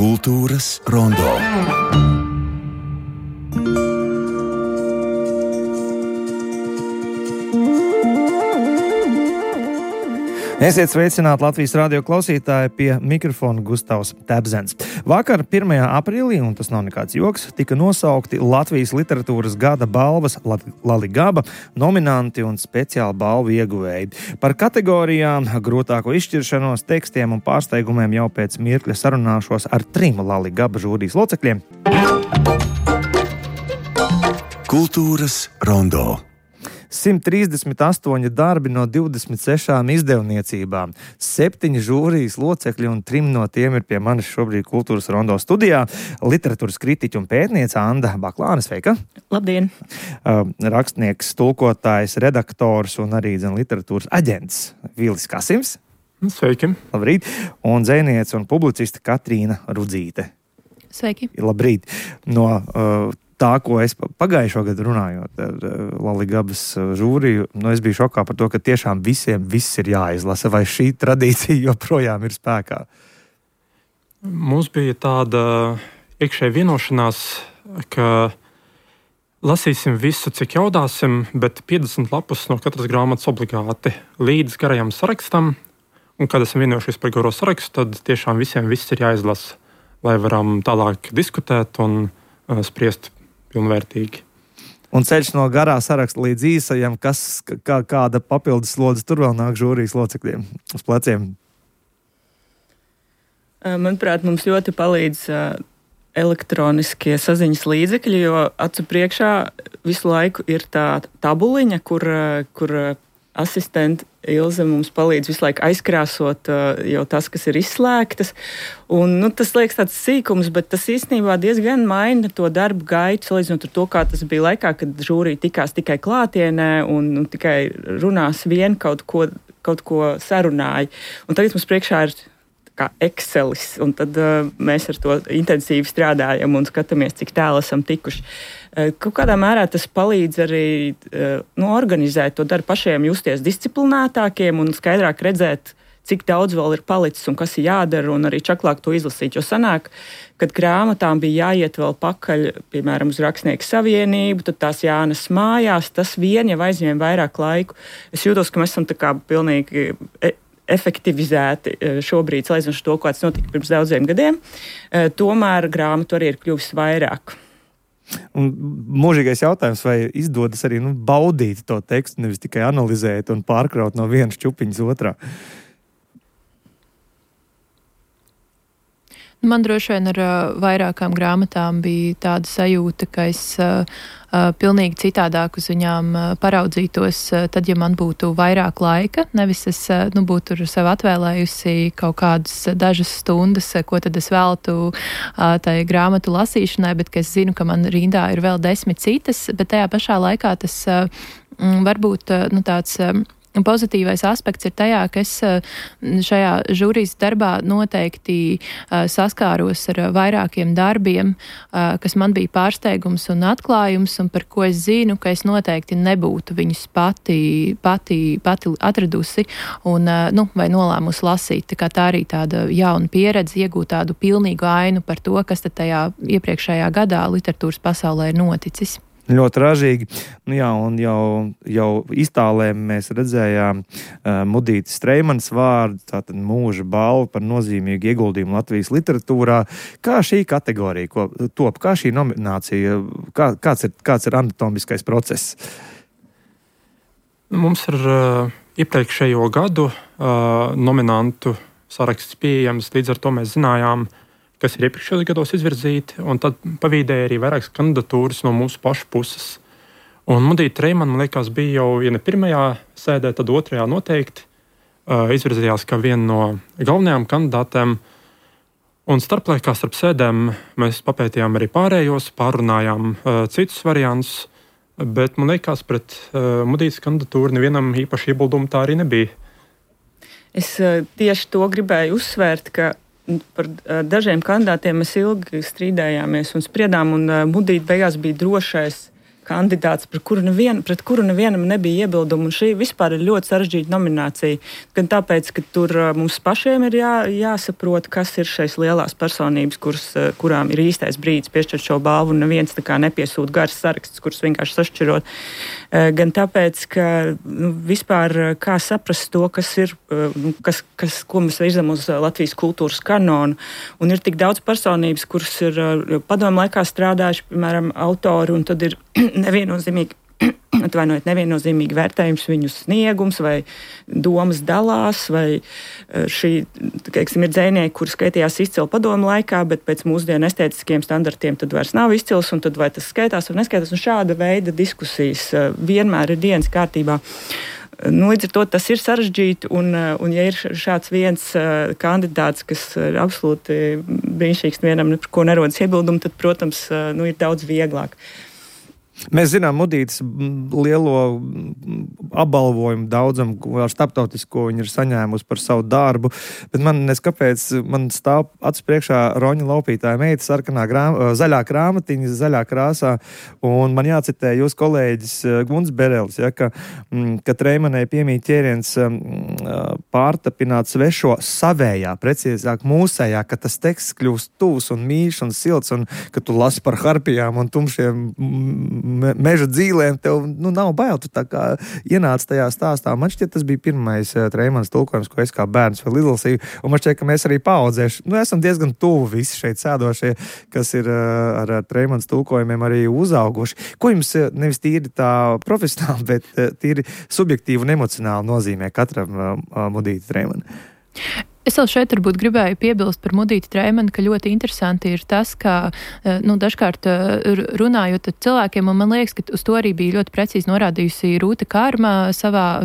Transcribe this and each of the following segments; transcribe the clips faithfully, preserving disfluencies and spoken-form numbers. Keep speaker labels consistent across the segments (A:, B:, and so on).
A: Kultūras rondo.
B: Esiet sveicināti Latvijas radio klausītāji, pie mikrofona Gustavs Tebzens. Vakar, pirmajā aprīlī, un tas nav nekāds joks, tika nosaukti Latvijas literatūras gada balvas Laligaba nominanti un speciāli balvu ieguvēji. Par kategorijām, grūtāko izšķiršanos, tekstiem un pārsteigumiem jau pēc mirkļa sarunāšos ar trim Laligaba žūrijas locekļiem.
A: Kultūras rondo.
B: simt trīsdesmit astoņi darbi no divdesmit sešām izdevniecībām. Septiņi žūrijas locekļi un trim no tiem ir pie manis šobrīd Kultūras rondo studijā. Literatūras kritiķa un pētniece Anda Baklāne, sveika!
C: Labdien!
B: Rakstnieks, tulkotājs, redaktors un arī zin, literatūras aģents Vīlis Kasims.
D: Sveiki!
B: Labrīt! Un dzejniece un publiciste Katrīna Rudzīte.
C: Sveiki!
B: Labrīt! No uh, tā, ko es pagājušo gadu runājot ar Laligabas žūriju, nu es biju šokā par to, ka tiešām visiem viss ir jāizlasa, vai šī tradīcija joprojām ir spēkā?
D: Mums bija tāda iekšēja vienošanās, ka lasīsim visu, cik jaudāsim, bet piecdesmit lapus no katras grāmatas obligāti līdz garajam sarakstam, un kad esam vienojušies par garo sarakstu, tad tiešām visiem viss ir jāizlasa, lai varam tālāk diskutēt un uh, spriest pilnvērtīgi.
B: Un ceļš no garā saraksta līdz īsajam, kas, kā, kāda papildus slodze tur vēl nāk žūrijas locekļiem uz pleciem?
C: Manuprāt, mums ļoti palīdz elektroniskie saziņas līdzekļi, jo acu priekšā visu laiku ir tā tabuliņa, kur, kur asistenti Ilze mums palīdz visu laiku aizkrāsot jau tas, kas ir izslēgtas. Un, nu, tas liekas tāds sīkums, bet tas īstenībā diezgan maina to darbu gaitu, salīdzinot ar to, kā tas bija laikā, kad žūrija tikās tikai klātienē un, un tikai runās vien kaut ko, kaut ko sarunāja. Un tagad mums priekšā ir kā Excelis, un tad uh, mēs ar to intensīvi strādājam un skatāmies, cik tālu esam tikuši. Uh, kaut kādā mērā tas palīdz arī uh, nu, organizēt to darbu pašiem, justies disciplinētākiem un skaidrāk redzēt, cik daudz vēl ir palicis un kas ir jādara, un arī čaklāk to izlasīt. Jo sanāk, kad grāmatām bija jāiet vēl pakaļ, piemēram, uz Rakstnieku savienību, tad tās jānes mājās, tas vien jau aizņēma vairāk laiku. Es jūtos, ka mēs esam tā kā pilnīgi E- efektivizēti šobrīd, salīdzinot ar to, kāds notika pirms daudziem gadiem. Tomēr grāmatu arī ir kļuvis vairāk.
B: Un mūžīgais jautājums, vai izdodas arī nu, baudīt to tekstu, nevis tikai analizēt un pārkraut no vienas čupiņas otrā?
E: Man droši vien ar uh, vairākām grāmatām bija tāda sajūta, ka es uh, uh, pilnīgi citādāk uz viņām uh, paraudzītos, uh, tad, ja man būtu vairāk laika, nevis es uh, nu, būtu sev atvēlējusi kaut kādas dažas stundas, uh, ko tad es veltu uh, tai grāmatu lasīšanai, bet ka es zinu, ka man rindā ir vēl desmit citas, bet tajā pašā laikā tas uh, varbūt uh, nu, tāds... Uh, Pozitīvais aspekts ir tajā, ka es šajā žūrijas darbā noteikti saskāros ar vairākiem darbiem, kas man bija pārsteigums un atklājums, un par ko es zinu, ka es noteikti nebūtu viņus pati, pati, pati atradusi un, nu, vai nolēmusi lasīt. Tā kā tā arī tāda jauna pieredze, iegūt tādu pilnīgu ainu par to, kas tad tajā iepriekšējā gadā literatūras pasaulē ir noticis.
B: Ļoti ražīgi. Nu jā, un jau, jau iztālēm mēs redzējām uh, Mudītes Streimanas vārdu, tātad mūža balvu par nozīmīgu ieguldījumu Latvijas literatūrā. Kā šī kategorija ko, top, kā šī nominācija, kā, kāds, ir, kāds ir anatomiskais process?
D: Mums ir uh, iepriekšējo gadu uh, nominantu saraksts pieejams, līdz ar to mēs zinājām, kas ir iepriekšējos gados izvirzīti, un tad pavīdēja arī vairākas kandidatūras no mūsu pašu puses. Un Mudīte Treimana, man liekas, bija jau, ja ne pirmajā sēdē, tad otrajā noteikti uh, izvirzījās kā viena no galvenajām kandidātēm. Un starplaikā starp sēdēm mēs papētījām arī pārējos, pārunājām uh, citus variantus, bet man liekas, pret uh, Mudītes kandidatūru nevienam īpaši iebildumu tā arī nebija.
C: Es uh, tieši to gribēju uzsvērt, ka par dažiem kandidātiem mēs ilgi strīdējāmies un spriedām, un Mudīte beigās bija drošais kandidāts, pret kuru, nevien, pret kuru nevienam nebija iebildumu. Un šī vispār ir ļoti sarežģīta nominācija. Gan tāpēc, ka tur mums pašiem ir jā, jāsaprot, kas ir šīs lielās personības, kuras, kurām ir īstais brīdis piešķirt šo balvu, un neviens tā kā nepiesūt garas saraksts, kurus vienkārši sašķirot. Gan tāpēc, ka nu, vispār kā saprast to, kas ir, kas, kas, ko mēs virzam uz Latvijas kultūras kanonu. Un ir tik daudz personības, kuras ir padomu laikā strādājuši, piemēram, autori, un tad ir neviennozīmīgi, atvainojiet, neviennozīmīgi vērtējums viņu sniegums vai domas dalās, vai šī, teiksim, ir dzejnieki, kuri skaitījās izcili padomu laikā, bet pēc mūsdienu estētiskiem standartiem tad vairs nav izcils, un tad vai tas skaitās vai neskaitās, un šāda veida diskusijas vienmēr ir dienas kārtībā. Nu, līdz ar to tas ir sarežģīti, un, un ja ir šāds viens uh, kandidāts, kas ir absolūti brīnišķīgs, vienam par ko nerodas iebildumu, tad, protams, uh, nu, ir daudz vieglāk.
B: Mēs zinām Mudītes lielo apbalvojumu daudzam, ar starptautisko viņi ir saņēmusi par savu darbu, bet man neskapēc, man stāv acis priekšā Roņa Laupītāja meita sarkanā grāma, zaļā krāmatiņa, zaļā krāsā, un man jācitē jūs kolēģis Gunts Berelis, ja, ka, ka Treimanai piemīt ķēriens pārtapināt svešo savējā, precīzāk mūsējā, ka tas teksts kļūst tūs un mīļš un silts, un ka tu lasi par harpijām un tumšiem meža dzīlēm, tev nu, nav bail, tu tā kā ienāc tajā stāstā. Man šķiet, tas bija pirmais uh, Treimans tulkojums, ko es kā bērns vēl izlasīju, un man šķiet, ka mēs arī paaudzēši, nu, esam diezgan tuvu visi šeit sēdošie, kas ir uh, ar, ar Treimans tulkojumiem arī uzauguši. Ko jums uh, nevis tīri tā profesionāli, bet uh, tīri subjektīvi un emocionāli nozīmē katram uh, uh, Mudīti Treimani?
E: Es vēl šeit varbūt gribēju piebilst par Mudīti Treimani, ka ļoti interesanti ir tas, ka, nu, dažkārt runājot ar cilvēkiem, un man liekas, ka uz to arī bija ļoti precīzi norādījusi Rūta Kārma savā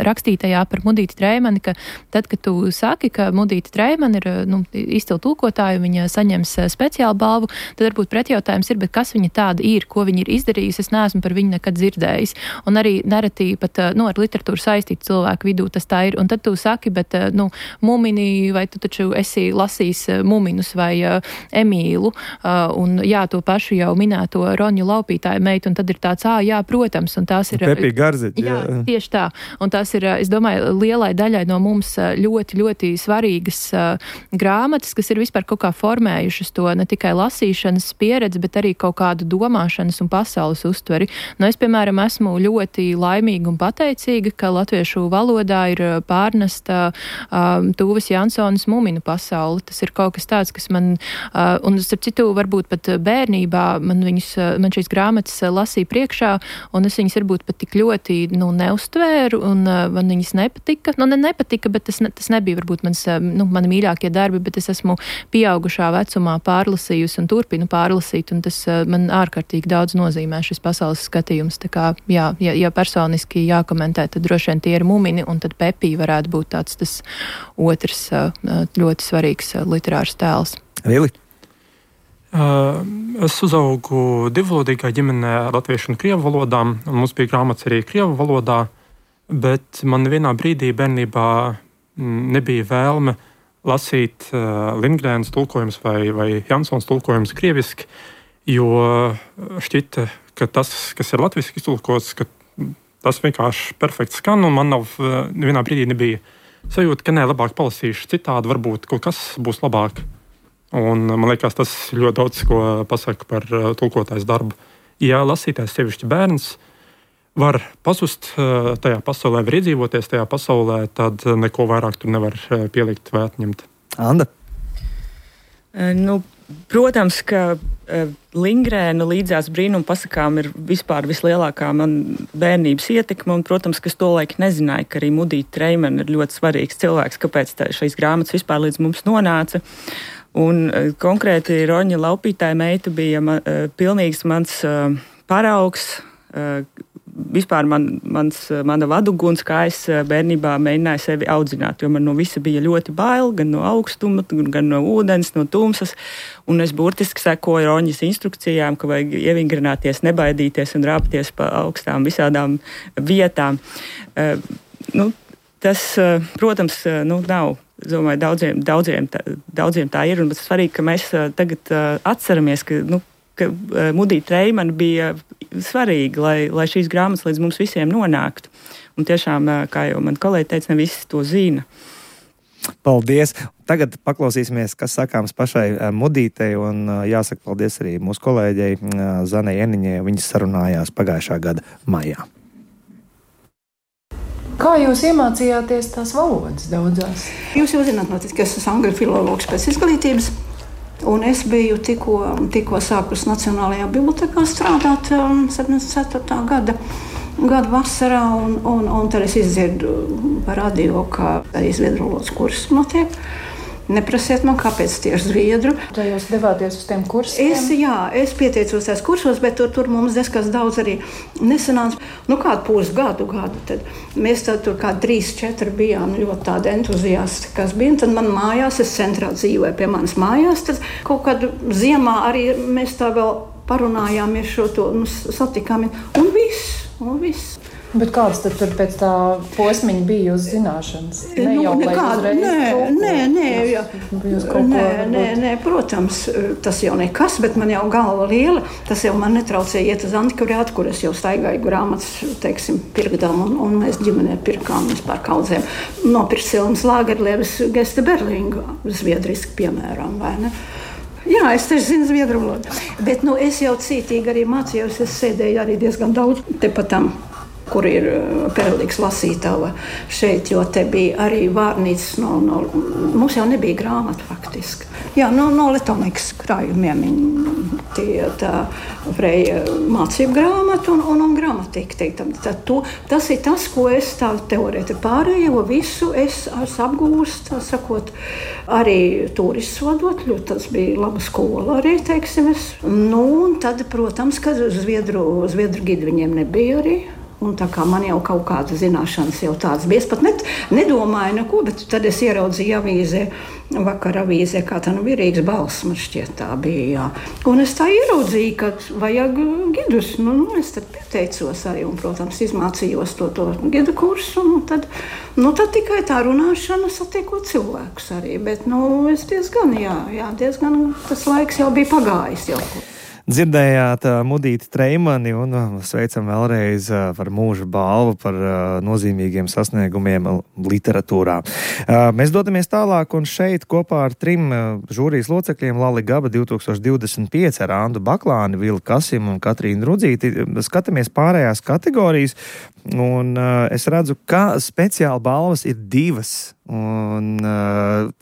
E: rakstītajā par Mudīti Treimani, ka tad, kad tu saki, ka Mudīti Treimani ir, nu, izcila tulkotāja, viņa saņems speciālu balvu, tad varbūt pretjautājums ir, bet kas viņa tāda ir, ko viņa ir izdarījusi, es neesmu par viņu nekad dzirdējis. Un arī nereti pat, nu, ar literatūru saistītu cilvēku vidū tas tā ir. Un tad tu saki, bet nu, Mumini, vai tu taču esi lasījis Muminus vai uh, Emīlu, uh, un jā, to pašu jau minēto Roņu Laupītāju meitu, un tad ir tāds, ā, jā, protams, un tās ir...
B: Pepī Garziņa.
E: Jā, jā, tieši tā. Un tās ir, es domāju, lielai daļai no mums ļoti, ļoti svarīgas uh, grāmatas, kas ir vispār kaut kā formējušas to ne tikai lasīšanas pieredzi, bet arī kaut kādu domāšanas un pasaules uztveri. Nu, es, piemēram, esmu ļoti laimīga un pateicīga, ka latviešu valodā ir pārnesta Um, Tūves Jansonas Muminu pasauli. Tas ir kaut kas tāds, kas man, uh, un starp citu, varbūt pat bērnībā man, viņus, man šīs grāmatas lasīja priekšā, un es viņas varbūt pat tik ļoti, nu, neuztvēru, un uh, man viņas nepatika. Nu, ne nepatika, bet tas, ne, tas nebija varbūt mans, nu, mani mīļākie darbi, bet es esmu pieaugušā vecumā pārlasījusi un turpinu pārlasīt, un tas uh, man ārkārtīgi daudz nozīmē šis pasaules skatījums. Tā kā, jā, ja, ja personiski jākomentē, tad droši vien tie ir Mumini, un tad Pepī varētu būt tāds tas otrs ļoti svarīgs literārs tēls.
B: Vili?
D: Uh, es uzaugu divvalodīgā ģimenē latviešu un krievu valodām, un mums bija grāmatas arī krievu valodā, bet man vienā brīdī bērnībā nebija vēlme lasīt uh, Lindgrēnas tulkojums vai, vai Jansons tulkojums krieviski, jo šķita, ka tas, kas ir latviski iztulkots, ka tas vienkārši perfekti skan, un man nav vienā brīdī nebija sajūta, ka nē, labāk palasīšu citādi, varbūt kaut kas būs labāk. Un man liekas, tas ļoti daudz ko pasaka par tulkotājas darbu. Ja lasītājs sevišķi bērns var pazust tajā pasaulē, var iedzīvoties tajā pasaulē, tad neko vairāk tur nevar pielikt vai atņemt.
B: Anda?
C: Nu, protams, ka Lindgrēna līdzās brīnuma pasakām ir vispār vislielākā man bērnības ietekme, un, protams, ka es to laiku nezināju, ka arī Mudīte Treimani ir ļoti svarīgs cilvēks, kāpēc tā, šīs grāmatas vispār līdz mums nonāca. Un konkrēti Roņa Laupītāja meita bija man, pilnīgs mans paraugs, vispār man, mans, mana vaduguns, kā es bērnībā mēģināju sevi audzināt, jo man no visa bija ļoti bail, gan no augstuma, gan no ūdens, no tumsas, un es burtiski sekoju Roņas instrukcijām, ka vajag ievingrināties, nebaidīties un rāpties pa augstām visādām vietām. Uh, nu, tas, uh, protams, uh, nu, nav. Es domāju, daudziem, daudziem, tā, daudziem tā ir, un tas svarīgi, ka mēs uh, tagad uh, atceramies, ka, nu, ka Mudita Treimane bija svarīga, lai, lai šīs grāmatas līdz mums visiem nonāktu. Un tiešām, kā jau man kolēģi teica, ne visi to zina.
B: Paldies! Tagad paklausīsimies, kas sakāms pašai Mudītei, un jāsaka paldies arī mūsu kolēģei Zanai Eniņai. Viņas sarunājās pagājušā gada maijā.
F: Kā jūs iemācījāties tās valodas daudzās?
G: Jūs jau zināt, notiek, ka es esmu angļu filologs pēc izglītības, un es biju tikko, tikko sākus Nacionālajā bibliotekā strādāt septiņdesmit ceturtā gada. Gada vasarā, un, un, un tad es izdzirdu par radio, ka arī zviedru valodas kursus notiek. Neprasiet man, kāpēc tieši zviedru.
F: Vai jūs devāties uz tiem kursiem?
G: Es, jā, es pieteicos tās kursos, bet tur, tur mums diezkas daudz arī nesanāca. Nu, kādu pusgadu gadu, tad mēs tad tur kā trīs, četri bijām ļoti tādi entuziasti, kas bija. Un tad man mājās, es centrā dzīvoju pie manas mājās, tad kaut kādu ziemā arī mēs tā vēl parunājāmies šo to, nu, satikām, un viss, un viss.
F: Bet kāds tad tur pēc tā posmiņa bija uz zināšanas? Ne
G: nu,
F: jau,
G: nekāda, nē, nē, nē, jā. Nē, nē, nē, protams, tas jau nekas, bet man jau galva liela. Tas jau man netraucēja iet uz antikvariātu, kur es jau staigāju grāmatas, teiksim, pirkdām, un, un mēs ģimenē pirkām vispār kaudzēm. Nopirkt Silmas Lagerlēves Geste Berlinga, zviedriski, piemēram, vai ne? Jā, es taču zinu zviedru valodu. Bet nu, es jau cītīgi arī mācījos, es sēdēju arī diezgan daudz tepat tam, kur ir perlīgs lasītava šeit, jo te bija arī vārnīcas no, no, mums jau nebija grāmata faktiski. Jā, no, no Letomeks krājumiem tie tā Freja mācību grāmata un, un, un gramatika, teiktam. Tad to, tas ir tas, ko es tā teorēti pārējo visu es, es apgūstu, tā sakot, arī turists vadot, ļoti tas bija laba skola arī, teiksim es. Nu, un tad, protams, kad zviedru, zviedru gidi viņiem nebija arī. Un tā kā man jau kaut kāda zināšanas jau tāds bija, es pat net, nedomāju neko, bet tad es ieraudzīju avīzē, vakar avīzē, kā tā nu virīgs balss, man šķiet tā bija, jā. Un es tā ieraudzīju, ka vajag gidus, nu, nu es tad pieteicos arī un, protams, izmācījos to, to gidu kursu, un tad, nu, tad tikai tā runāšana satiekot cilvēkus arī, bet, nu, es diezgan, jā, jā, diezgan, tas laiks jau bija pagājis jau.
B: Dzirdējāt Mudīti Treimani un sveicam vēlreiz par mūža balvu, par nozīmīgiem sasniegumiem literatūrā. Mēs dodamies tālāk un šeit kopā ar trim žūrijas locekļiem Lali Gaba divi tūkstoši divdesmit pieci ar Andu Baklāni, Vilu Kasimu un Katrīnu Rudzīti. Skatāmies pārējās kategorijas un es redzu, ka speciāli balvas ir divas. Un,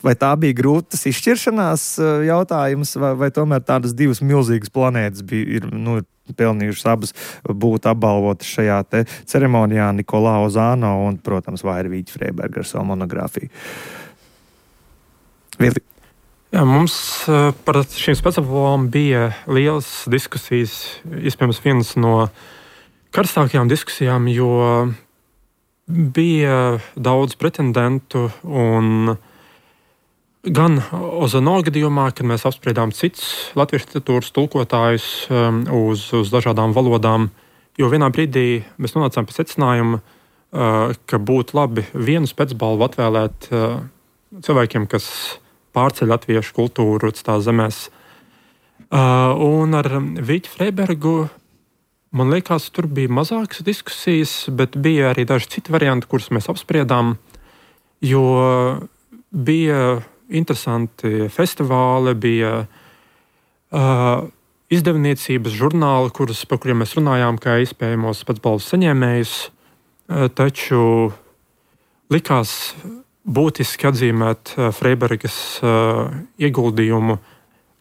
B: vai tā bija grūtas izšķiršanās jautājums, vai, vai tomēr tādas divas milzīgas planētas bija, ir, nu, pelnījušas abas būt apbalvotas šajā te ceremonijā, Nikolao Zāno un, protams, Vairvīķa Freiberga ar savu monogrāfiju. Vili.
D: Jā, mums par šīm speciālām bija lielas diskusijas, iespējams vienas no karstākajām diskusijām, jo bija daudz pretendentu, un gan Ozano gadījumā, kad mēs apspriedām cits latviešu literatūras tulkotājus um, uz, uz dažādām valodām, jo vienā brīdī mēs nonācām pie secinājuma, uh, ka būtu labi vienu specbalvu atvēlēt uh, cilvēkiem, kas pārceļ latviešu kultūru citās zemēs. Uh, un ar Vīķu Freibergu man liekas, tur bija mazākas diskusijas, bet bija arī daži citi varianti, kurus mēs apspriedām, jo bija interesanti festivāli, bija uh, izdevniecības žurnāli, kurus, par kuriem mēs runājām, kā iespējamos specbalvas saņēmējus, uh, taču likās būtiski atzīmēt uh, Freibergas uh, ieguldījumu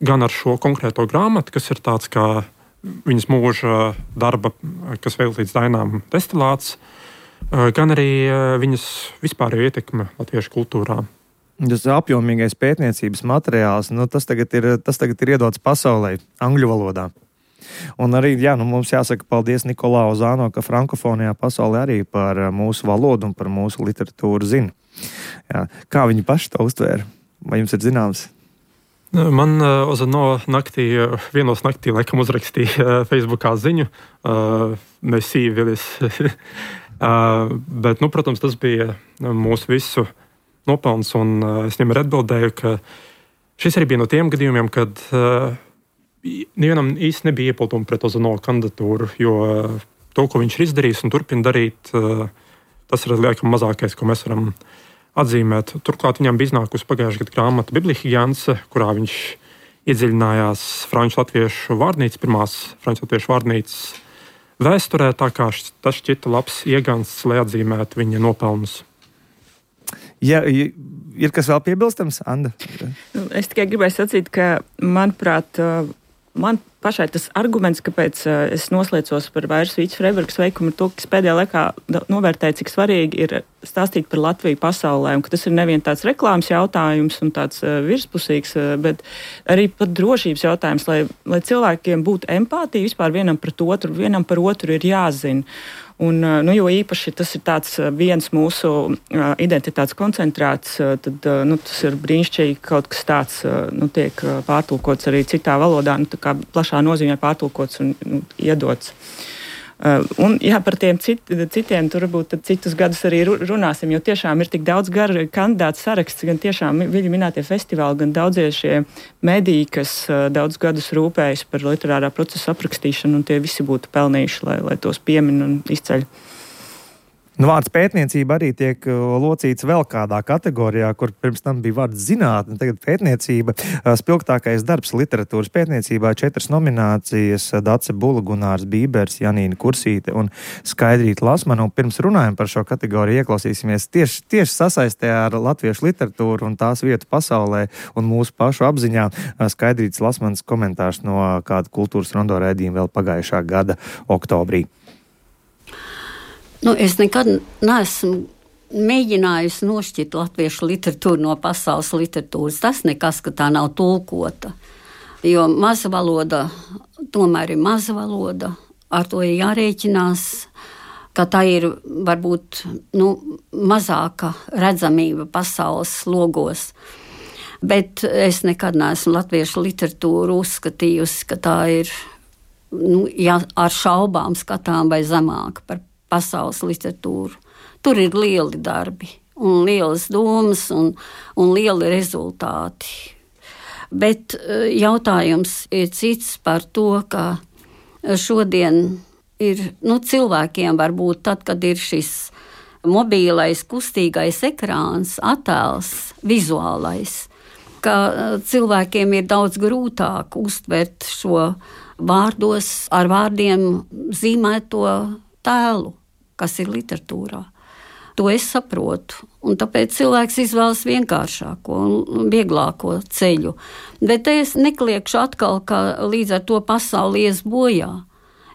D: gan ar šo konkrēto grāmatu, kas ir tāds kā viņas mūža darba, kas veltīts dainām destilāts, gan arī viņas vispārējo ietekme latviešu kultūrā.
B: Tas apjomīgais pētniecības materiāls, nu, tas, tagad ir, tas tagad ir iedots pasaulē, angļu valodā. Un arī, jā, nu, mums jāsaka paldies Nikolao Zāno, ka frankofonijā pasaulē arī par mūsu valodu un par mūsu literatūru zina. Jā. Kā viņi paši to uztvēra? Vai jums ir zināms?
D: Man uh, Ozano naktī, uh, vienos naktī, laikam uzrakstīja uh, Facebookā ziņu, uh, mēs sīvilis. uh, bet, nu, protams, tas bija mūsu visu nopelns, un uh, es viņam arī atbildēju, ka šis arī bija no tiem gadījumiem, kad uh, nevienam īsti nebija iepildumi pret Ozanovu kandidatūru, jo to, ko viņš ir izdarījis un turpina darīt, tas ir liekam mazākais, ko mēs varam atzīmēt. Turklāt viņam bija iznākusi pagājušajā gadā grāmata Biblihigiense, kurā viņš iedziļinājās franču latviešu vārnīcas, pirmās franču latviešu vārnīcas vēsturē, tā kā tas šķita labs iegansts, lai atzīmētu viņa nopelnus.
B: Ja, ir kas vēl piebilstams, Anda?
C: Es tikai gribēju sacīt, ka, manuprāt, man pašai tas arguments, kāpēc es noslēdzos par Vairas Vītas Freibergas veikumu, ir to, ka es pēdējā laikā novērtēju, cik svarīgi ir stāstīt par Latviju pasaulē, un ka tas ir nevien tāds reklāmas jautājums un tāds virspusīgs, bet arī pat drošības jautājums, lai, lai cilvēkiem būtu empātija vispār vienam pret otru, vienam par otru ir jāzina. Un, nu, jo īpaši tas ir tāds viens mūsu identitātes koncentrāts, tad nu, tas ir brīnišķīgi, kaut kas tāds nu, tiek pārtulkots arī citā valodā, nu, tā kā plašā nozīmē pārtulkots un nu, iedots. Un jā, par tiem cit, citiem tur varbūt citus gadus arī runāsim, jo tiešām ir tik daudz garu kandidātu saraksts, gan tiešām viņi minētie festivāli, gan daudzie šie mediji, kas daudz gadus rūpējas par literārā procesa aprakstīšanu, un tie visi būtu pelnījuši, lai, lai tos piemin un izceļ.
B: Nu, vārds pētniecība arī tiek locīts vēl kādā kategorijā, kur pirms tam bija vārds zinātne, tagad pētniecība. Spilgtākais darbs literatūras pētniecībā, četras nominācijas, Dace Bula, Gunārs Bībers, Janīna Kursīte un Skaidrīta Lasmana. Un pirms runājam par šo kategoriju, ieklausīsimies tieši, tieši sasaistē ar latviešu literatūru un tās vietu pasaulē un mūsu pašu apziņā. Skaidrītas Lasmanas komentārs no kāda kultūras rondo raidījuma vēl pagājušā gada oktobrī.
H: Nu, es nekad neesmu mēģinājusi nošķirt latviešu literatūru no pasaules literatūras. Tas nekas, ka tā nav tulkota. Jo maza valoda tomēr ir maza valoda. Ar to ir jārēķinās, ka tā ir varbūt nu, mazāka redzamība pasaules logos. Bet es nekad neesmu latviešu literatūru uzskatījusi, ka tā ir nu, ja ar šaubām skatām vai zemāka par pasaules literatūru. Tur ir lieli darbi un lielas domas un, un lieli rezultāti. Bet jautājums ir cits par to, ka šodien ir nu, cilvēkiem varbūt tad, kad ir šis mobīlais kustīgais ekrāns, attēls, vizuālais, ka cilvēkiem ir daudz grūtāk uztvert šo vārdos ar vārdiem zīmēto tēlu, kas ir literatūrā. To es saprotu, un tāpēc cilvēks izvēlas vienkāršāko un vieglāko ceļu. Bet es nekliekšu atkal, ka līdz ar to pasauli ies bojā.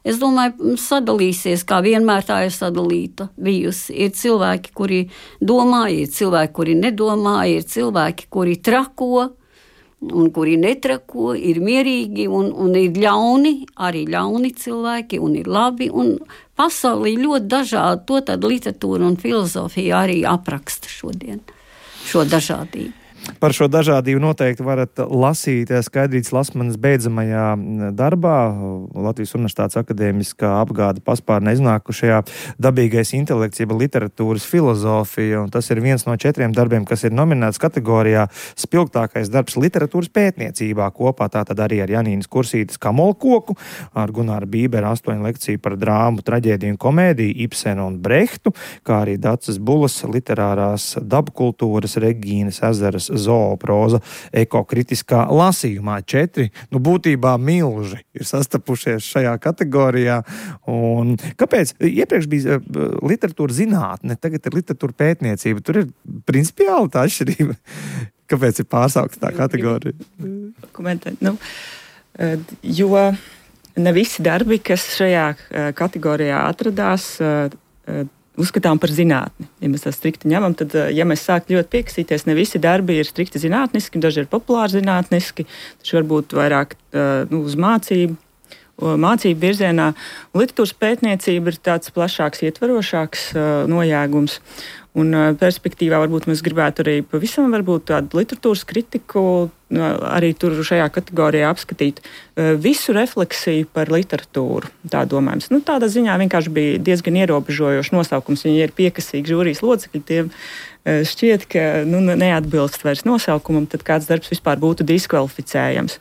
H: Es domāju, sadalīsies, kā vienmēr tā ir sadalīta bijusi. Ir cilvēki, kuri domā, ir cilvēki, kuri nedomā, ir cilvēki, kuri trako, un kuri netrako, ir mierīgi un, un ir ļauni, arī ļauni cilvēki un ir labi. Un pasaulī ļoti dažādi, to tad literatūra un filozofija arī apraksta šodien, šo dažādību.
B: Par šo dažādību noteikti varat lasīt Skaidrītas Lasmanas beidzamajā darbā, Latvijas Universitātes akadēmiskā apgāde paspārnē iznākušajā dabīgais intelekts, jeb literatūras filozofija, un tas ir viens no četriem darbiem, kas ir nominēts kategorijā spilgtākais darbs literatūras pētniecībā, kopā tātad arī ar Janīnas Kursītes Kamolkoku, ar Gunāra Bībera astoņu lekciju par drāmu, traģēdiju un komēdiju, Ibsenu un Brehtu, kā arī Daces Bulas literārās dabkultūras, Regīnas Ezeras zooproza ekokritiskā lasījumā. Četri, nu būtībā milži ir sastapušies šajā kategorijā. Un kāpēc? Iepriekš bija literatūra zinātne, tagad ir literatūra pētniecība. Tur ir principiāli tā atšķirība. Kāpēc ir pārsaukta tā kategorija?
C: Komentēt, nu, jo ne visi darbi, kas šajā kategorijā atradās, uzskatām par zinātni. Ja mēs tā strikti ņemam, tad, ja mēs sāktu ļoti piekasīties, ne visi darbi ir strikti zinātniski, daži ir populāri zinātniski, taču varbūt vairāk nu, uz mācību, mācību virzienā. Un literatūras pētniecība ir tāds plašāks, ietverošāks nojēgums. Un perspektīvā varbūt mēs gribētu arī pavisam varbūt tādu literatūras kritiku arī tur šajā kategorijā apskatīt visu refleksiju par literatūru, tā domājams. Nu, tādā ziņā vienkārši bija diezgan ierobežojošs nosaukums. Viņi ir piekasīgi žūrijas locekļi, tiem šķiet, ka nu, neatbilst vairs nosaukumam, tad kāds darbs vispār būtu diskvalificējams.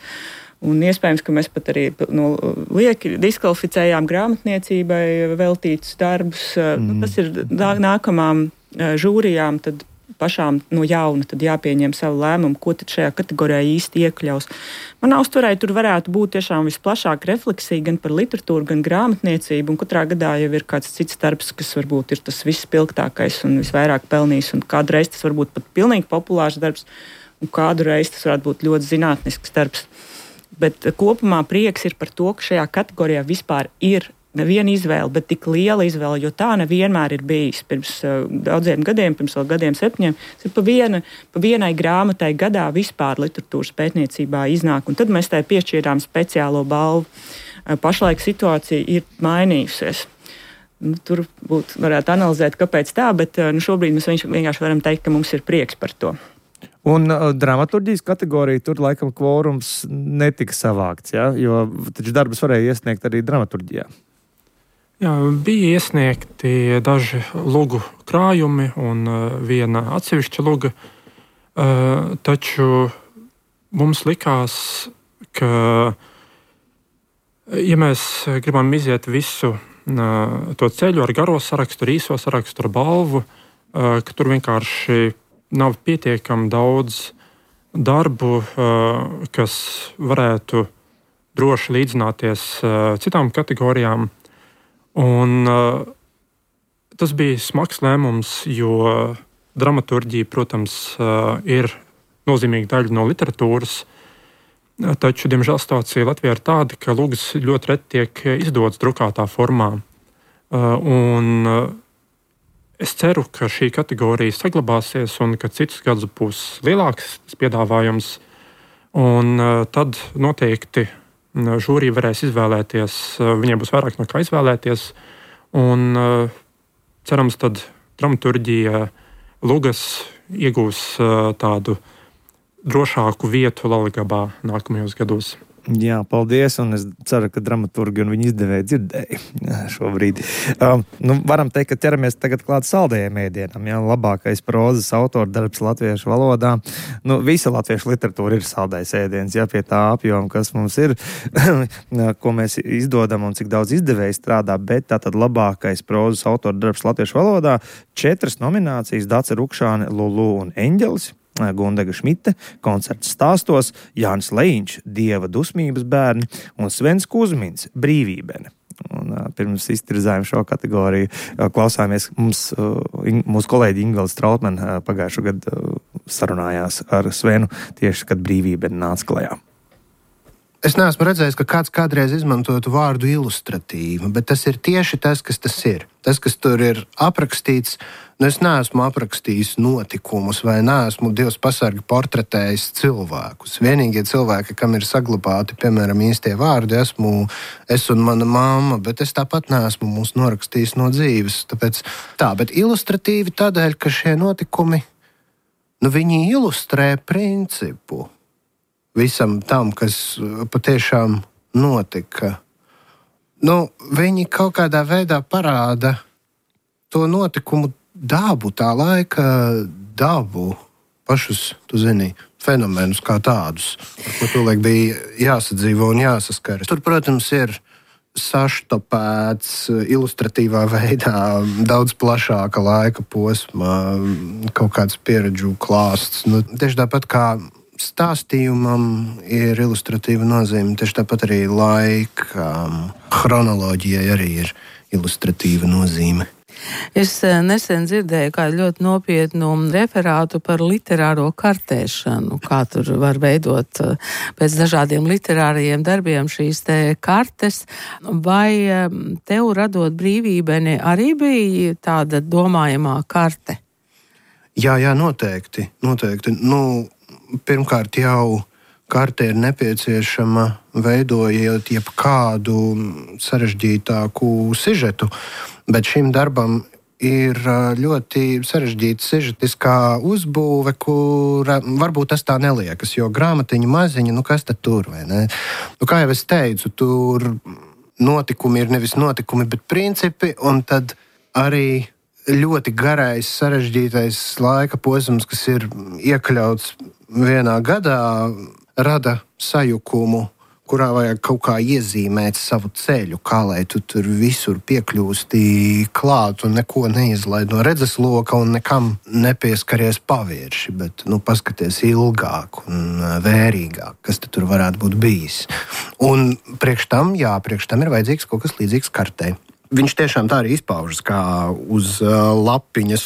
C: Un iespējams, ka mēs pat arī no lieki diskvalificējām grāmatniecībai veltītus darbus. Mm. Nu, tas ir nākamām žūrijām, tad pašām no jauna tad jāpieņem savu lēmumu, ko tad šajā kategorijā īsti iekļaus. Manā uztverē tur varētu būt tiešām visplašāka refleksija gan par literatūru, gan grāmatniecību, un katrā gadā jau ir kāds cits darbs, kas varbūt ir tas vispilgtākais un visvairāk pelnījis, un kādreiz tas varbūt pat pilnīgi populārs darbs, un kādu reizi tas varētu būt ļoti zinātnisks darbs. Bet kopumā prieks ir par to, ka šajā kategorijā vispār ir neviena izvēle, bet tik liela izvēle, jo tā nevienmēr ir bijis. Pirms uh, daudziem gadiem, pirms vēl gadiem septiņiem, tas pa, viena, pa vienai grāmatai gadā vispār literatūras pētniecībā iznāk, un tad mēs tai piešķīrām speciālo balvu. Uh, pašlaik situācija ir mainījusies. Nu, tur būtu varētu analizēt, kāpēc tā, bet uh, nu, šobrīd mēs vienkārši varam teikt, ka mums ir prieks par to.
B: Un uh, dramaturģijas kategorija tur laikam kvorums netika savākts, ja? Jo taču darbus varēja iesniegt arī dramaturģijā.
D: Jā, bija iesniegti daži lugu krājumi un uh, viena atsevišķa luga, uh, taču mums likās, ka, ja mēs gribam iziet visu uh, to ceļu ar garo sarakstu, ar īso sarakstu, ar balvu, uh, ka tur vienkārši nav pietiekami daudz darbu, uh, kas varētu droši līdzināties uh, citām kategorijām. Un, uh, tas bija smags lēmums, jo dramaturģija, protams, uh, ir nozīmīga daļa no literatūras, uh, taču, diemžēl, situācija Latvijā ir tāda, ka lugas ļoti reti tiek izdotas drukātā formā. Uh, un, uh, es ceru, ka šī kategorija saglabāsies un ka citus gadus būs lielāks piedāvājums, un uh, tad noteikti žūrija varēs izvēlēties, viņiem būs vairāk no kā izvēlēties, un cerams, tad dramaturģija lugas iegūs tādu drošāku vietu Latvijā nākamajos gados.
B: Jā, paldies, un es ceru, ka dramaturgi un viņa izdevēji dzirdēja šobrīd. Um, nu, varam teikt, ka ķeramies tagad klāt saldējiem ēdienam, jā, labākais prozas autora darbs latviešu valodā. Nu, visa latviešu literatūra ir saldējs ēdiens, jā, pie tā apjoma, kas mums ir, ko mēs izdodam un cik daudz izdevēji strādā, bet tātad labākais prozas autora darbs latviešu valodā, četras nominācijas, Dace Rukšāne, Lulu un Eņģelis, Gundega Šmite, koncerts stāstos, Jānis Lejiņš, Dieva dusmības bērni un Svens Kuzmins, Brīvībene. Un, uh, pirms iztirzājām šo kategoriju, uh, klausāmies, mums, uh, in, mūsu kolēģi Ingela Strautmane uh, pagājušo gadu uh, sarunājās ar Svenu tieši, kad Brīvībene nāca klajā.
I: Es neesmu redzējis, ka kāds kādreiz izmantotu vārdu ilustratīva, bet tas ir tieši tas, kas tas ir. Tas, kas tur ir aprakstīts, nu es neesmu aprakstījis notikumus vai neesmu Dievs pasargi portretējis cilvēkus. Vienīgie cilvēki, kam ir saglabāti, piemēram, īstie vārdi, esmu es un mana mamma, bet es tāpat neesmu mūs norakstījis no dzīves. Tāpēc tā, bet ilustratīvi tādēļ, ka šie notikumi, nu viņi ilustrē principu visam tam, kas patiešām notika. Nu, viņi kaut kādā veidā parāda to notikumu dabu, tā laika dabu, pašus, tu zini, fenomenus kā tādus, ar ko tolaik bija jāsadzīvo un jāsaskaras. Tur, protams, ir saštopēts ilustratīvā veidā daudz plašāka laika posma, kaut kāds pieredžu klāsts. Nu, tieši tāpat kā stāstījumam ir ilustratīva nozīme, tieši tāpat arī laika chronoloģijai arī ir ilustratīva nozīme.
J: Es nesen dzirdēju kādu ļoti nopietnu referātu par literāro kartēšanu, kā tur var veidot pēc dažādiem literārajiem darbiem šīs te kartes. Vai tev radot Brīvībeni arī bija tāda domājamā karte?
I: Jā, jā, noteikti. noteikti. Nu, pirmkārt jau karte ir nepieciešama veidojot jebkādu sarežģītāku sižetu, bet šim darbam ir ļoti sarežģīta sižetiskā uzbūve, kura varbūt tas tā neliekas, jo grāmatiņa maziņa, nu kas tad tur, vai ne? Nu, kā jau es teicu, tur notikumi ir nevis notikumi, bet principi, un tad arī ļoti garais, sarežģītais laika posms, kas ir iekļauts vienā gadā, rada sajukumu kurā vajag kaut kā iezīmēt savu ceļu, kā lai tu tur visur piekļūsti klāt un neko neizlaid no redzesloka un nekam nepieskaries pavirši, bet nu, paskaties ilgāk un vērīgāk, kas tur varētu būt bijis. Un priekš tam, jā, priekš tam ir vajadzīgs kaut kas līdzīgs kartei. Viņš tiešām tā arī izpaužas kā uz uh, lapiņas.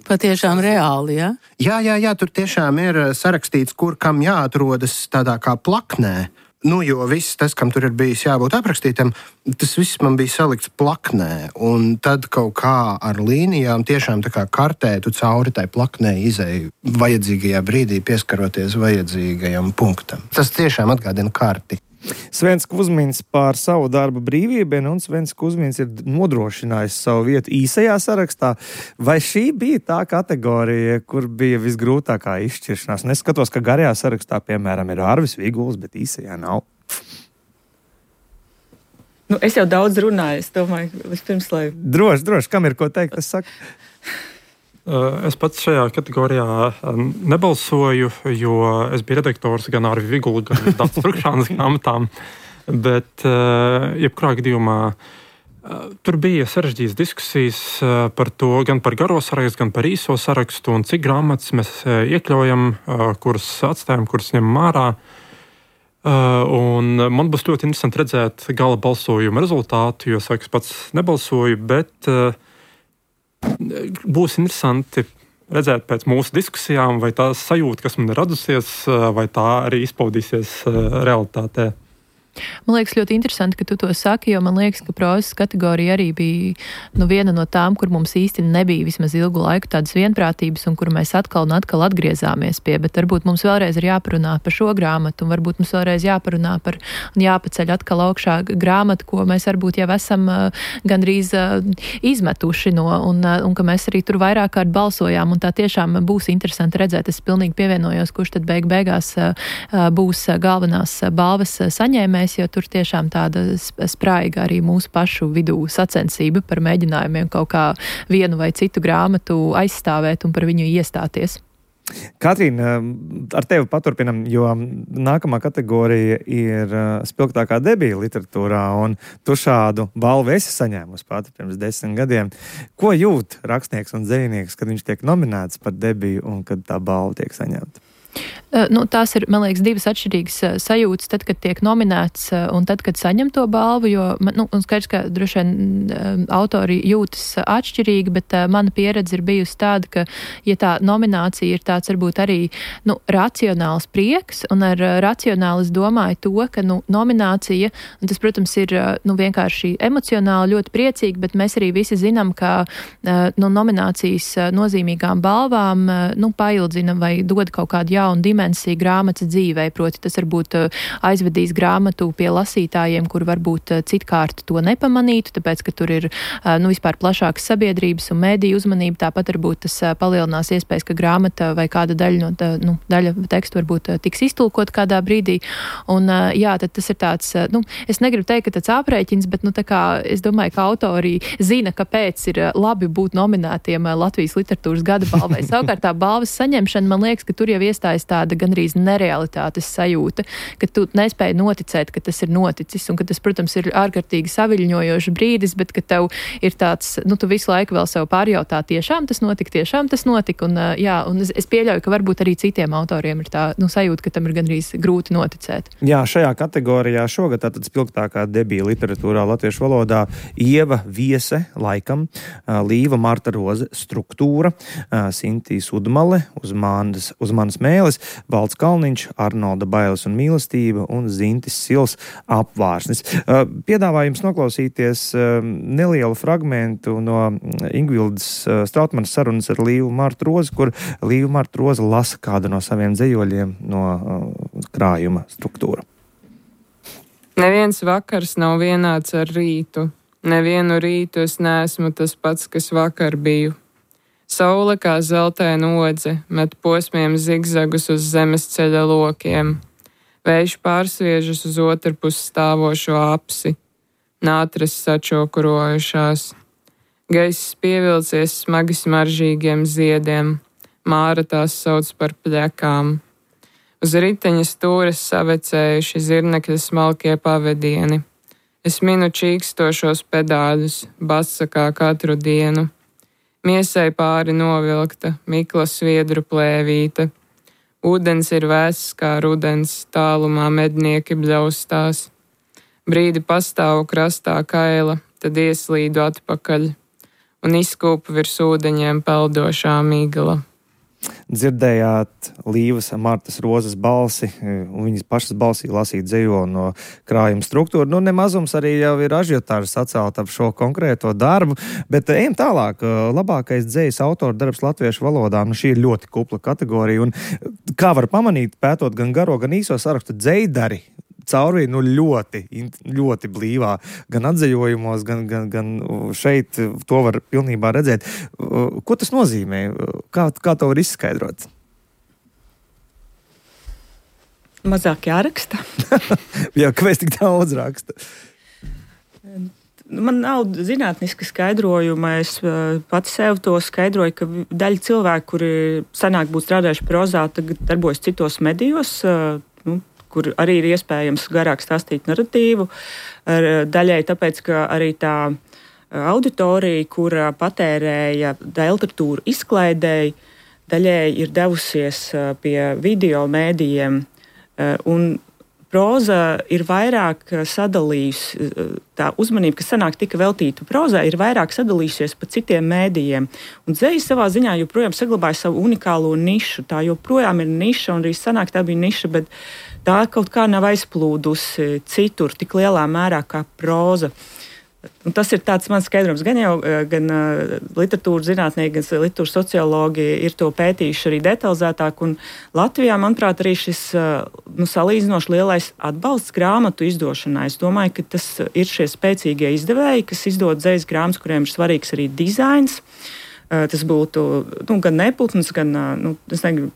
J: Patiešām reāli, ja?
I: Jā, jā, jā, tur tiešām ir sarakstīts, kur kam jāatrodas tādā kā plaknē. Nu, jo viss tas, kam tur ir bijis jābūt aprakstītam, tas viss man bija salikts plaknē. Un tad kaut kā ar līnijām tiešām tā kā kartē tu cauri tai plaknē izēju vajadzīgajā brīdī pieskaroties vajadzīgajam punktam. Tas tiešām atgādina karti.
B: Svens Kuzmins par savu darbu brīvību, un Svens Kuzmins ir nodrošinājis savu vietu īsajā sarakstā. Vai šī bija tā kategorija, kur bija visgrūtākā izšķiršanās? Un es skatos, ka garajā sarakstā, piemēram, ir Arvis Viguls, bet īsajā nav.
C: Nu, es jau daudz runāju, es domāju, vispirms, lai...
B: Droši, droši, kam ir ko teikt, es saku?
D: Es pats šajā kategorijā nebalsoju, jo es biju redaktors gan ar Vigulu, gan Dācis Trukšānas grāmatām, bet jebkurā gadījumā tur bija sarežģītas diskusijas par to, gan par garo sarakstu, gan par īso sarakstu, un cik grāmatas mēs iekļaujam, kuras atstājam, kuras ņemam ārā. Un man būs ļoti interesanti redzēt gala balsojuma rezultātu, jo, saka, es pats nebalsoju, bet būs interesanti redzēt pēc mūsu diskusijām, vai tā sajūta, kas man ir radusies, vai tā arī izpaudīsies realitātē.
E: Man liekas ļoti interesanti, ka tu to saki, jo man liekas, ka prozas kategorija arī bija nu, viena no tām, kur mums īsti nebija vismaz ilgu laiku tādas vienprātības un kur mēs atkal un atkal atgriezāmies pie, bet varbūt mums vēlreiz ir jāparunā par šo grāmatu un varbūt mums vēlreiz jāparunā par un jāpaceļ atkal augšā grāmatu, ko mēs varbūt jau esam uh, gandrīz uh, izmetuši no un, uh, un ka mēs arī tur vairāk kārt balsojām un tā tiešām būs interesanti redzēt. Es pilnīgi pievienojos, kurš tad beig beigās uh, būs galvenās balvas saņēmējs, jo tur tiešām tāda spraiga arī mūsu pašu vidū sacensība par mēģinājumiem kaut kā vienu vai citu grāmatu aizstāvēt un par viņu iestāties.
B: Katrīna, ar tevi paturpinam, jo nākamā kategorija ir spilgtākā debija literatūrā, un tu šādu balvu esi saņēmusi pati pirms desmit gadiem. Ko jūt rakstnieks un dzejnieks, kad viņš tiek nominēts par debiju un kad tā balva tiek saņemta?
E: Nu, tās ir, man liekas, divas atšķirīgas sajūtas, tad, kad tiek nominēts un tad, kad saņem to balvu, jo, nu, un skaidrs, ka droši vien autori jūtas atšķirīgi, bet mana pieredze ir bijusi tāda, ka, ja tā nominācija ir tāds, varbūt arī, nu, racionāls prieks, un ar racionāli es domāju to, ka, nu, nominācija, un tas, protams, ir, nu, vienkārši emocionāli ļoti priecīgi, bet mēs arī visi zinām, ka, nu, nominācijas nozīmīgām balvām, nu, paildzina vai dod kaut kādu jaunu dimensiju grāmatas dzīvē, proti tas varbūt aizvedīs grāmatu pie lasītājiem, kur varbūt citkārt to nepamanītu, tāpēc, ka tur ir, nu, vispār plašākas sabiedrības un mēdīju uzmanība, tāpat varbūt tas palielinās iespējas, ka grāmata vai kāda daļa no tā, nu, daļa tekstu varbūt tiks iztulkot kādā brīdī, un jā, tad tas ir tāds, nu, es negribu teikt, ka tāds aprēķins, bet, nu, tā kā es domāju, ka autori zina, kāpēc ir labi būt nominētiem Latvijas literatūras gada balvai. Savukārt tā balvas saņemšana, man liekas, ka tur jau iestājas tāda gandrīz nerealitātes sajūta, ka tu nespēji noticēt, ka tas ir noticis, un ka tas, protams, ir ārkārtīgi saviļņojošs brīdis, bet ka tev ir tāds, nu, tu visu laiku vēl sev pārjautā, tiešām tas notika, tiešām tas notika, un, jā, un es, es pieļauju, ka varbūt arī citiem autoriem ir tā, nu, sajūta, ka tam ir gandrīz grūti noticēt.
B: Jā, šajā kategorijā šogad tātad spilgtākā debija literatūrā latviešu valodā Ieva Viese, laikam, Līva Marta Roze, Struktūra, Sintīs Udmale, uz manas, uz manas mēles, Valds Kalniņš, Arnolda Bailes un mīlestība un Zintis Sils Apvārsnis. Piedāvājums noklausīties nelielu fragmentu no Ingvildas Strautmanas sarunas ar Līvu Martu Rozi, kur Līva Marta Roze lasa kādu no saviem dzejoļiem no krājuma Struktūra.
K: Neviens vakars nav vienāds ar rītu. Nevienu rītu es neesmu tas pats, kas vakar biju. Saule kā zeltaina odze met posmiem zigzagus uz zemes ceļa lokiem. Vējš pārsviežas uz otru pusi stāvošo apsi. Nātras sačokurojušās. Gaiss pievilcies smagi smaržīgiem ziediem. Māra tās sauc par pļekām. Uz riteņa stūres savecējuši zirnekļa smalkie pavadieni. Es minu čīkstošos pedāļus, basa kā katru dienu. Miesai pāri novilkta, mikla sviedru plēvīta. Ūdens ir vēss kā rudens, tālumā mednieki bļaustās. Brīdi pastāvu krastā kaila, tad ieslīdu atpakaļ un izkūpu virs ūdeņiem peldošā migla.
B: Dzirdējāt Līvas Martas Rozes balsi, un viņas pašas balsī lasīt dzejoli no krājuma struktūra. Nu, nemazums arī jau ir ažiotāžas atcelt ap šo konkrēto darbu, bet ejam tālāk. Labākais dzejas autora darbs latviešu valodā, nu šī ir ļoti kupla kategorija, un kā var pamanīt, pētot gan garo, gan īso sarakstu, dzejdari caurvī nu ļoti, ļoti blīvā, gan atzejojumos, gan, gan, gan šeit to var pilnībā redzēt. Ko tas nozīmē? Kā, kā to var izskaidrot?
C: Mazāk jāraksta.
B: Jā, kāpēc tik daudz raksta?
C: Man nav zinātniska skaidrojuma. Es pati sev to skaidroju, ka daļa cilvēku, kuri senāk būtu strādājuši prozā, tagad darbojas citos medijos, nu, kur arī ir iespējams garāk stāstīt narratīvu. Daļai tāpēc, ka arī tā auditorija, kura patērēja literatūru izklaidēji, daļai ir devusies pie video mēdījiem, un proza ir vairāk sadalījusi, tā uzmanība, kas senāk tika veltīta prozai, ir vairāk sadalījusies pa citiem mēdījiem. Un dzeja savā ziņā joprojām saglabāja savu unikālo nišu. Tā joprojām ir niša, un arī senāk tā bija niša, bet tā kaut kā nav aizplūdusi citur tik lielā mērā kā proza. Un tas ir tāds mans skaidrums. Gan jau gan literatūras zinātnieki, gan literatūras sociologi ir to pētījuši arī detalizētāk. Un Latvijā, manuprāt, arī šis nu, salīdzinoši lielais atbalsts grāmatu izdošanai. Es domāju, ka tas ir šie spēcīgie izdevēji, kas izdod dzejas grāmatas, kuriem ir svarīgs arī dizains. Tas būtu nu, gan Neputns, gan nu, negribu,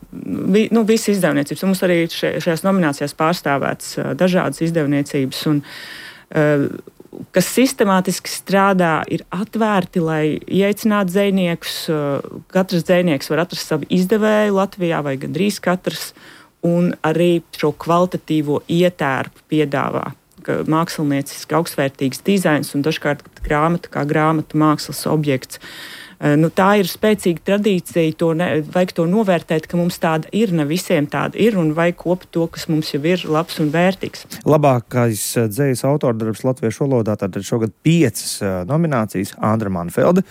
C: vi, nu, visi izdevniecības. Un mums arī še, šajās nominācijās pārstāvētas dažādas izdevniecības, un, kas sistemātiski strādā, ir atvērti, lai ieaicinātu dzejniekus. Katrs dzejnieks var atrast savu izdevēju Latvijā, vai gandrīz katrs, un arī šo kvalitatīvo ietērpu piedāvā. Mākslinieciski augstvērtīgs dizains un dažkārt grāmata kā grāmatu mākslas objekts. Nu, tā ir spēcīga tradīcija, to ne, vajag to novērtēt, ka mums tāda ir, ne visiem tāda ir, un vajag kopt to, kas mums jau ir labs un vērtīgs.
B: Labākais dzejas autora darbs latviešu valodā, tātad šogad piecas nominācijas: Andra Manfelda,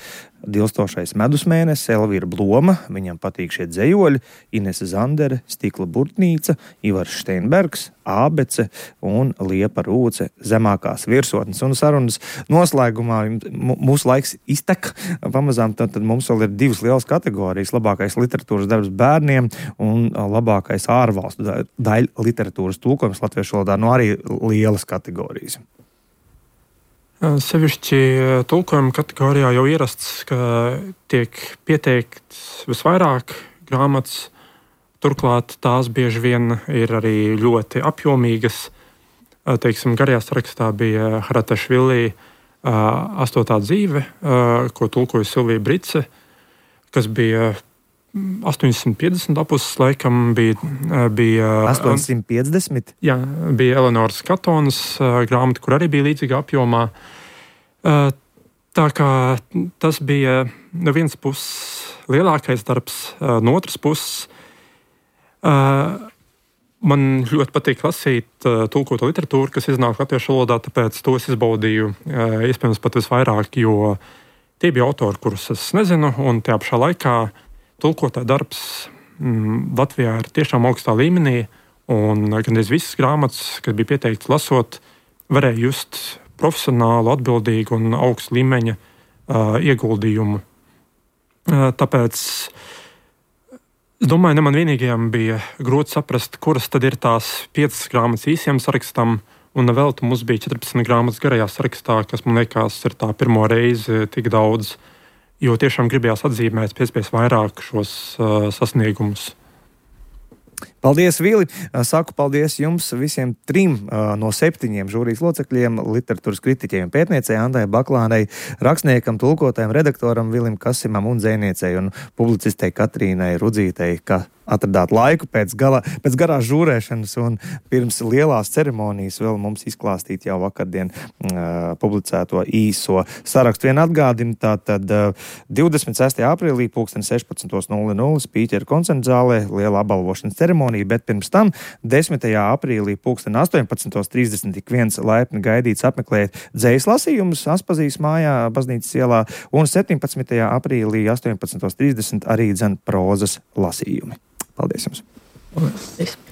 B: Dilstošais medus mēnesis, Elvīra Bloma, viņam patīk šie dzejoļi, Inese Zandere, Stikla burtnīca, Ivars Steinbergs, Ābece un Liepa Rūce, zemākās virsotnes. Un sarunas noslēgumā mūsu laiks iztek pamazām, tad, tad mums vēl ir divas lielas kategorijas: labākais literatūras darbs bērniem un labākais ārvalstu daļa literatūras tulkojums latviešu valodā, no arī lielas kategorijas.
D: Sevišķi tulkojuma kategorijā jau ierasts, ka tiek pieteikts visvairāk grāmatas. Turklāt tās bieži vien ir arī ļoti apjomīgas. Teiksim, garajā sarakstā bija Haratašvili astotā dzīve, ko tulkoja Silvija Brice, kas bija astoņsimt piecdesmit apuses, laikam bija... bija
B: astoņsimt piecdesmit?
D: Jā, bija Eleonoras Katonas grāmata, kur arī bija līdzīga apjomā. Tā kā tas bija no vienas puses lielākais darbs, no otras puses man ļoti patīk lasīt tulkoto literatūru, kas iznāk latviešu valodā, tāpēc to es izbaudīju iespējams pat visvairāk, jo tie bija autori, kurus es nezinu, un tajā pašā laikā tulkotā darbs mm, Latvijā ir tiešām augstā līmenī, un gandrīz visas grāmatas, kas bija pieteikts lasot, varēja just profesionālu, atbildīgu un augstu līmeņa uh, ieguldījumu. Uh, tāpēc es domāju, ne man vienīgajam bija grūti saprast, kuras tad ir tās piecas grāmatas īsiem sarakstam, un vēl tu mums bija četrpadsmit grāmatas garajā sarakstā, kas man liekas ir tā pirmo reizi tik daudz, jo tiešām gribējās atzīmēt pēc iespējas vairāk šos uh, sasniegumus.
B: Paldies, Vili! Saku paldies jums visiem trim uh, no septiņiem žūrijas locekļiem, literatūras kritiķiem, pētniecei Andai Baklānai, rakstniekam, tulkotājam, redaktoram Vilim Kasimam un dzejniecei un publicistei Katrīnai Rudzītei, ka atradāt laiku pēc, gala, pēc garās žūrēšanas un pirms lielās ceremonijas vēl mums izklāstīt jau vakardien uh, publicēto īso sarakstu. Vien atgādina, tātad uh, divdesmit sestajā aprīlī pulksten sešpadsmit nulle nulle Spīķera koncerta zālē liela apbalvošanas ceremonija, bet pirms tam desmitajā aprīlī pulksten astoņpadsmit trīsdesmit ik viens laipni gaidīts apmeklēt dzejas lasījumus Aspazijas mājā, Baznīcas ielā, un septiņpadsmitajā aprīlī astoņpadsmit trīsdesmit arī dzen prozas lasījumi. Paldies jums!
C: Paldies!